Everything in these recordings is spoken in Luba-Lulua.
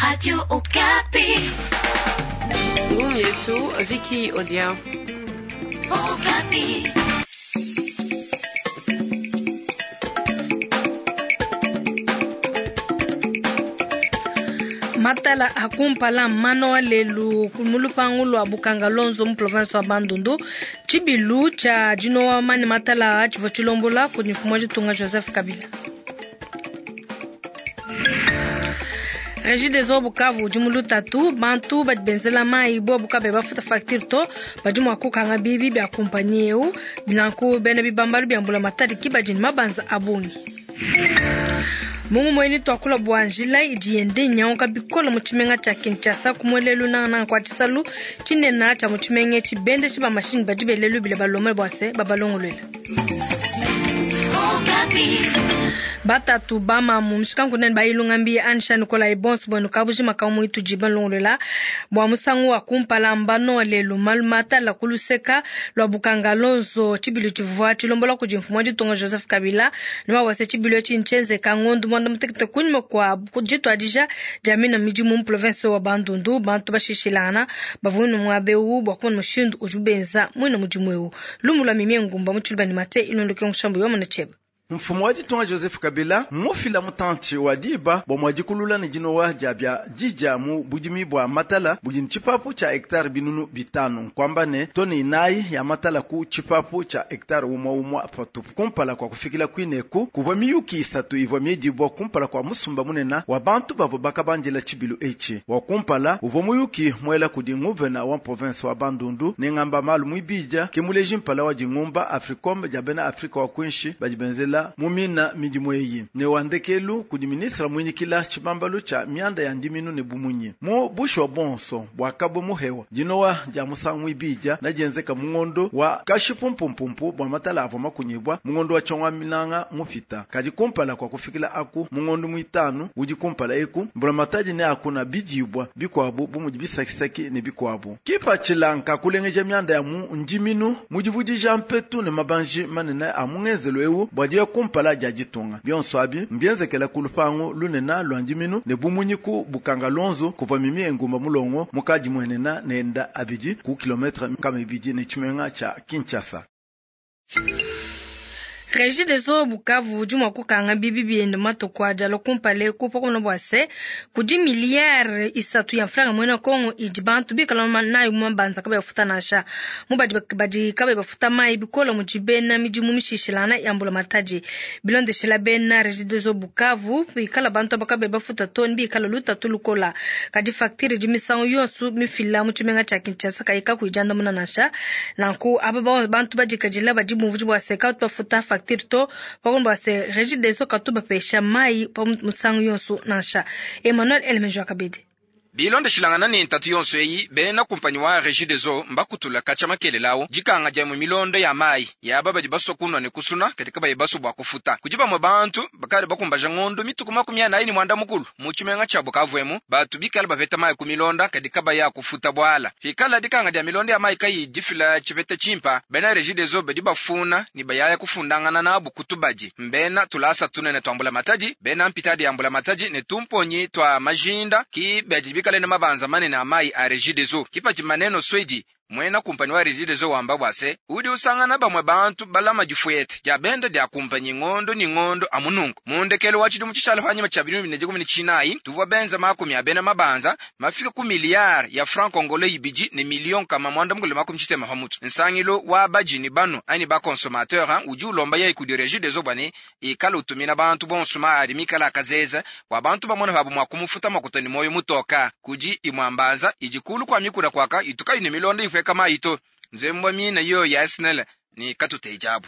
Radio Okapi. Ngumu yetu Vicky Odia. Okapi. Matala akumpala mano lelu mu lupangu lua Bukanga Lonzo mu province wa Bandundu tshibilu tshia dinowa mane matala tshivua tshilombola kudi mfumu wa ditunga Joseph Kabila. Regideso Bukavu udi mu lutatu bantu badi benzela mayi bobu kabayi bafuta facture to badi mua kukanga bibi bia kumpanyi eu nanku bena bibambalu bia mbulamatadi ki badi ne mabanza a bungi. Mungu mueni tuakula bua njila idi yende inyanguka bikole mu tshimenga tshia Kinshasa ku muelelu nangananga kua tshisalu tshinene tshia mu tshimenga etshi bendeshi ba mashinyi badi bele lubila balombe bua se babalongoluela. Batatu bamamu mushikankunene bayilunga mbi Anisha Nikolai bonso buenu kabujima kamwe itudi balongolola bua musangu wa kumpala mbano lelu malu matala ku luseka lua Bukanga Lonzo tshibilu tshivua tshilombola kudi mfumu wa ditunga Joseph Kabila ne wawase tshibilu etshi ntshienzeka ngondo muanda mutekete kunyima kua dituadija dia mina midimu mu province wa Bandundu bantu bashishilangana bavua ne muaba eu bua kumona mushindu udi benza muina mudimu eu lumu lua mimie ngumba mu tshiluba ne mate ilondoke mushambu yomona tshieba. Mfumu wa ditunga Joseph Kabila mmufila mutantshi wa diba bua muadikulula ne dinowa dia bia dija mu budimi bua matala budi ne tshipapu tshia hectare 500 nkuamba ne toni 4 ya matala ku tshipapu tshia hectare umua umua patupu. Kumpala kua kufikila kuineku kuvua miyuki 3 ivua miedibua kumpala kua musumba munene wa bantu bavua bakabandila tshibilu etshi. Wa kumpala uvua muyuki muela kudi nguvena wa province wa Bandundu ne ngamba malu muibidya ke muleji mpala wa dingumba Africom dia bena Afrika wa kuinshi badi benzela mumina midimu eyi ne wandekelu kudi ministre muinyikila tshibambalu tshia mianda ya ndiminu ne bumunyi mu bushuwa bonso bwakabwe muhewa dinowa dia musangu ibidya nadienzeka mungondo wa kashipumpumpumpu bua matala avua makunyibwa mungondo wa tshongwa minanga mupita kadi kumpala kwa kufikila aku mungondo muitanu udi kumpala eku mbulamatadi ne akuna bidibwa bikuabu bumudi bisakisaki ne bikuabu kipatshila kulengeja mianda ya mu ndiminu mudivudija mpetu ne mabanji manene a mungenzelo eu bua dia kumpala dia ditunga bionso abi mbienzekela ku lupangu lunene lua ndiminu ne bumunyi ku Bukanga Lonzo kuva mimi engumba mulongo mukadi muenena nenda abidi ku kilometre 200 ne tshimenga tshia Kinshasa. Regideso Bukavu udi mua kukanga bibi biende matuku adi alua kumpala eku pakumona bua se kudi miliyare 3 ya mfranga muena Kongo idi bantu bikala nayo mu mabanza kabayi bafuta nansha mu badi badi kabayi bafuta mayi bikole mudi bena midimu mishishilana ya mbulamatadi bilondeshela bena Regideso Bukavu bikala bantu aba kabayi bafuta to bikala lutatu lukola kadi facture idi misangu yonso mifila mu tshimenga tshia Kinshasa kayikakuijandamuna nansha nanku aba bantu badikadila badi bumvudi bua se kabatu bafuta facture to pakumba se Regideso katu bapesha mai pa musangu yonso nansha. Emmanuel Elemenjo akabidi bilondeshilangana ne ntatu yonso eyi bena kumpanyi wa Regideso mbakutula katshia makelelawo dikanga dia mu milondo ya mayi yaba badi basua kunwa ne kusuna kadi kabayi basua bua kufuta kudi bamue bantu bakadi bakumbaja ngondo mituku 45 mu tshimenga tshia Bukavu emu batu bikala bapeta mayi ku milonda kadi kabayi akufuta bwala hikala dikanga dia milondo ya mayi kayi difila tshipeta tshimpa bena Regideso badi bafuna ne bayaya kufundangana nabu kutubadi mbena tulasa tunene twa mbulamatadi bena mpitadi ya mbulamatadi ne tumponyi twa majinda ki badi bikala ne mabanza manene a mayi a Regideso kipachi maneno swedi mwena kumpani wa Regideso wamba bwase udi usangana bamwe bantu balama difuete dia benda dia kumpanyi ngondo ni ngondo amunungu mundekelo wa tshidimu tshishala panyima tshia 2019 tuvua benza 10 a bena mabanza mafika ku miliyari ya franc congolais 2 ne million kama 960 pamutu nsangilo wa bajini banu ani ba consommateur udi ulomba yai kudi Regideso bwane ikala utumina bantu bonso maari mikala akazeza wa bantu bamona babu mwa kumufuta makuta ni moyo mutoka kudi imwambanza ijikulu kwa mikula kwaka ituka ine milonda ifwe kama ito nzembwa mina yo ya SNL ni katutejabu.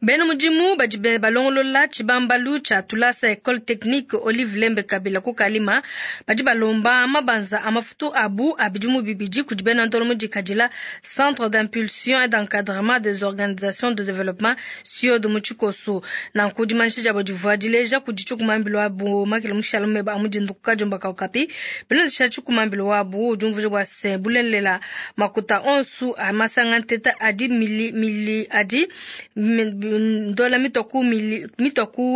Bena mudimu badi balongolola tshibambalu tshia tulasa Ecole Technique Olive Lembe Kabila ku Kalima badi balomba mabanza a mafutu abu a bidimu bibidi kudi bena ndolo mudikadila Centre d'impulsion et d'encadrement des organisations de développement CIOD mu tshikoso nanku dimanyisha diabo divua dileja kudi tshikumambilo wabu makele mushala meba a mudindu ku kadiomba ka Okapi bilondesha tshikumambilo wabu udi umvuija bua se bulelela makuta onsu a masanga nteta adi mili, mili adi ndola mitua ku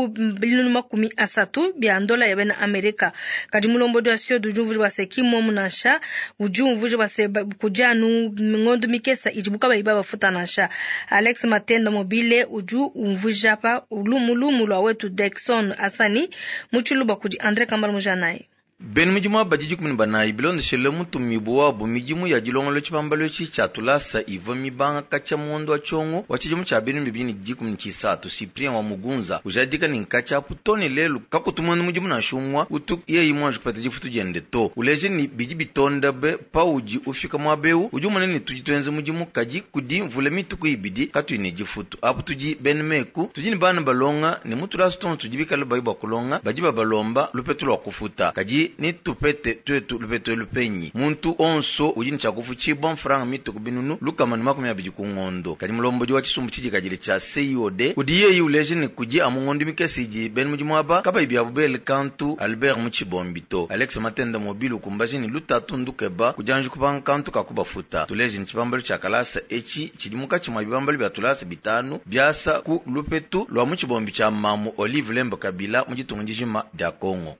binunu 30 bia ndola ya bena Amerika. Kadi mulombodi wa CIOD udi umvuija bua se ki mmuomu nansha, udi umvuija bua se kudi anu ngondo mikesa idibu kabayi babafuta nansha. Alex Matenda Mobile udi umvuija pa lumu lua wetu Dexon Asani mu Tshiluba kudi Andre Kambala Mujanayi. Bena mudimu aba badi 14 bilondeshele mutumibu wabu midimu ya dilongolo tshibambalu etshi tshia tulasa ivua mibanga katshia muondo wa tshiongo wa tshidimu tshia 2013 Cyprien wa Mugunza ujadika ne nkatshia apu to ne lelu kakutu mudimu nansha umue utu yeyi muanji kupeta difutu diende to. Uleje ne bidi bitonda be paudi ufika muaba eu udi umona ne tudi tuenza mudimu kadi kudi mvula mituku ibidi katuyi ne difutu. Apu tudi bena meku tudi ne bana balonga ne mu tulasa tonso tudi bikale bayi bua kulonga badi babalomba lupetu lua kufuta kadi ni tupete twetu lupetu lupenyi muntu onso udi ne tshia mfranga mituku binunu lukama ne 20 ku ngondo. Kadi mulombodi wa tshisumbu tshidikadile tshia CIOD udi yeyi uleje ne kudi amu ngondo mikese idi bena mudimu aba kabayi biabu bele kantu Albert Mutshibombi to. Alex Matenda Mobile ukumbaje ne lutatu ndukeba kudianji kupanga kantu kakubafuta. Tuleje ne tshibambalu tshia kalasa etshi tshidi mukatshi mwa bibambalu bia tulasa bitanu biasa ku lupetu lwa Mutshibombi tshia mamu Olive Lembe Kabila mu ditunga dijima dia Congo.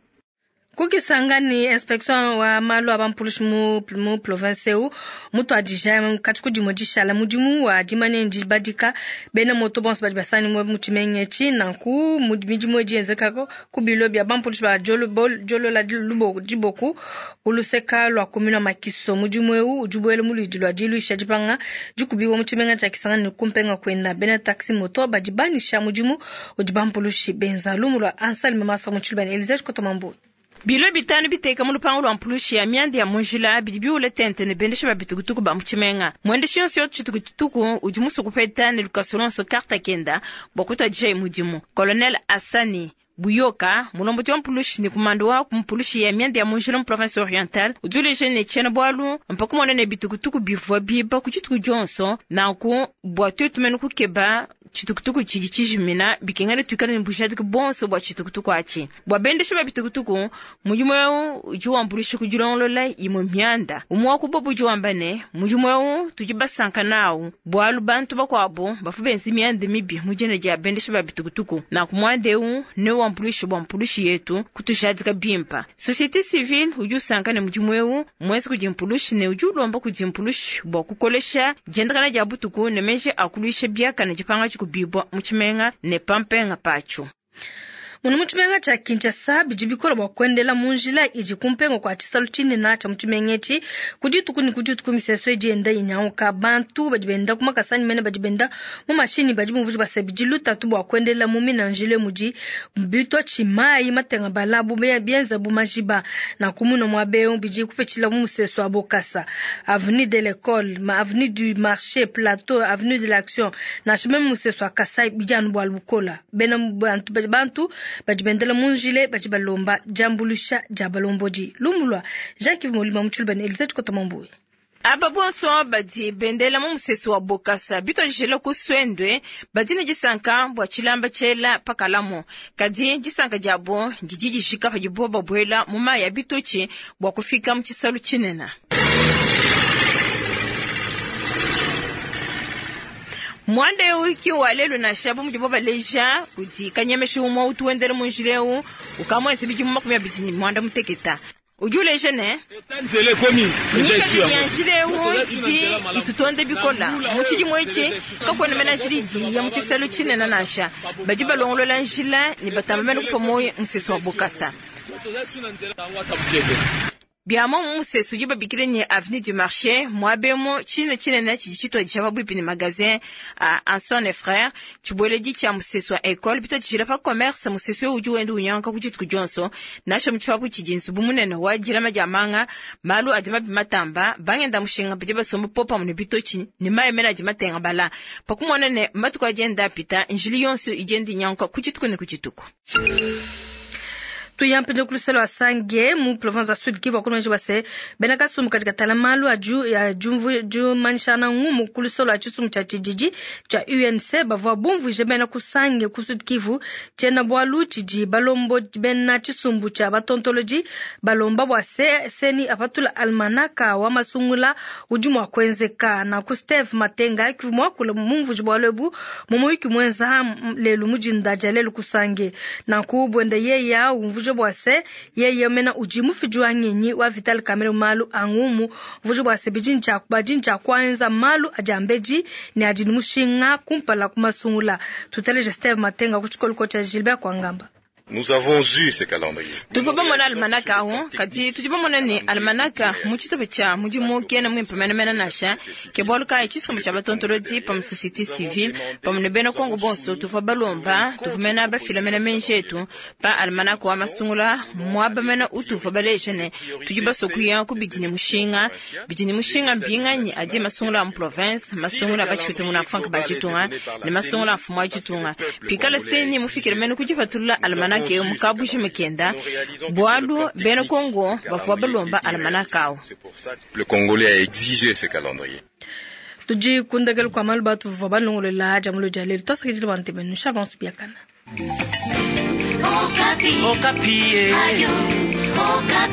Kukisangani inspection wa malu a bampulushi mu province eu mutu adija kati kudimo dishala mudimu wa dimane ndibadika bena moto bonso badi basani mu tshimenga etshi nanku midimu edi yenzekako ku bilo bia bampulushi ba jolola diboku kuluseka lua commune Makiso. Mudimu eu udi buela mu luidi lua diluisha dipanga dikubiwa mu tshimenga tshia Kisangani ne kumpenga kwenda bena taxi moto badi banisha mudimu udi bampulushi benza lumu lua Anselme Maso mu Tshilubane Elise Kotomambu. Bilo bitanu biteka mu lupangu lwa mpulushi ya mianda ya munjila bidi biule tente ne bendesha ba bitukutuku ba mu tshimenga. Mwendeshi yonso yo tshitukutuku udi musu kupeta ne lukaso lonso karta kenda bua kutadija mudimu. Colonel Asani Buyoka mulombodi wa mpulushi ne kumando wa mpulushi ya mianda ya munjila mu province orientale udi uleja ne tshiena bualu mpaka mona ne bitukutuku bivua biba ku dituku dionso nanku bua tuetu mene kukeba tshitukutuku tshidi tshijimina bikengela tuikale ne bujadiki bonso bua tshitukutuku atshi. Bua bendesha ba bitukutuku mudimu eu udi wambuluisha ku dilongolola imue mianda. Umue wa ku bobu udi wamba ne mudimu eu tudi basanka nawu bualu bantu bakuabu bavua benza mianda mibi mu dina dia bendesha ba bitukutuku nanku muanda eu ne wambuluisha bua mpulushi yetu kutujadika bimpa. Société civile udi usanka ne mudimu eu muenza kudi mpulushi ne udi ulomba kudi mpulushi bua kukolesha diendakana dia butuku ne meji akuluisha biakane dipanga dikubibwa mu tshimenga ne pampenga patsho. Munu mu tshimenga tshia Kinshasa bidi bikola bua kuendela mu njila idi kumpenga kua tshisalu tshinene tshia mu tshimenga etshi ku dituku ne ku dituku miseso idi yenda inyanguka. Bantu badi benda ku makasa anyi mene badi benda mu mashini badi bumvuija bua se bidi lutatu bua kuendela mu mina njila mudi bitua tshimayi matenga balabu bienza bu majiba na kumuna muaba eu bidi kupetshila mu museso wa Bokasa, avenue de l'école, avenue du marché, plateau, avenue de l'action nansha meme museso wa Kasai bidi anu bua lukola. Bena bantu badi bendela mu njile badi balomba diambuluisha dia balombodi. Lumulwa Jacques Molima mu Tshilubane Elisabeth Kotomambui. Aba bonso badi bendela mu museso wa Bokasa bitwajila ku Swendwe badi ne disanka bua tshilamba tshiela pakalamo kadi disanka diabo didi dijika padibo babuela mu mayi ya bitotshi bua kufika mu tshisalu tshinene. Mwanda eu ki wa lelu nansha bu mudibo baleja kudi kanyemesha umue utu wendela mu njila eu ukamwese bidimu 25 muteketa. Udi uleja ne nyika ya njila eu idi itutonde bikola mu tshidimu etshi kakuena mena njila idi ya mu tshisalu tshinene nansha badi balongolola njila ne batamba mene kupa moyo museso wa Bokasa. Biamo mu museso udi babikile ne avenue du marché muabemo tshine tshinene tshidi tshituadija pabuipi ne magasin a Anson et frères tshibueledi tshia museso wa école bitadijila pa commerce museso eu udi wenda unyanka ku dituku dionso nansha mu tshipapu tshidi nzubu munene wa dilama dia manga malu adi mabi matamba bangenda mushinga badi basomba popamue ne bitotshi ne mayi mene adi matenga bala pakumona ne matuku adi enda apita njili yonso idi enda inyanka ku dituku ne ku dituku. Tuya mpindieu ku luseke lua Sange mu province wa Sud Kivu wakulonji bua se bena kasumbu kadi katala malu a diumanyishana ngumu ku luseke lua tshisumbu tshia tshididi tshia UNC bavua bumvuije bena ku Sange ku Sud Kivu tshiena bualu tshidi balombodi bena tshisumbu tshia batontolodi balomba bua se CENI apatula almanaka wa masungula udi mua kuenzeka. Nanku Steve Matenga kivu muakula mumvuije bualu ebu mu muyuki muenza lelu mu dinda dia lelu ku Sange. Nanku buenda yeya umvuije bua se yeye mena udi mufidi wa ngenyi wa Vital Kamerhe malu a ngumu umvuije bua se bidi badi ntshia kuenza malu adi ambedi ne adi ne mushinga kumpala ku masungula. Tuteleje Steve Matenga ku tshikolo tshia Gilbert Kwangamba. Nous avons eu ce calendrier. Tuvua bamona almanaka awu, kadi tudi bamona ne almanaka mu tshitupa tshia mudimu kena muimpe menemene nansha. Ke bualu kayi tshisumbu tshia batontolodi pamue société civile pamue ne bena Kongo bonso tuvua balomba, tuvua mena bafila mena menji etu pa almanaka wa masungula muaba mena utuvua baleja ne tudi basue kuya ku bidi ne mushinga. Bidi ne mushinga mbinganyi adi masungula a mu province, masungula a batshipite muna Frank ba ditunga ne masungula a mfumu wa ditunga. Pikala CENI mufikile mena ku dipatulula almanaka ke mukabuji mukenda bualu bena Kongo bavua balomba almanaka awu. Le Congolais a exigé ce calendrier. Tudi kundekela kua malu batuvua balongolola dia mulo dia lelu tuasakidile bua ntebenu sha bonso biakana. Okapi. Okapi. Radio Okapi.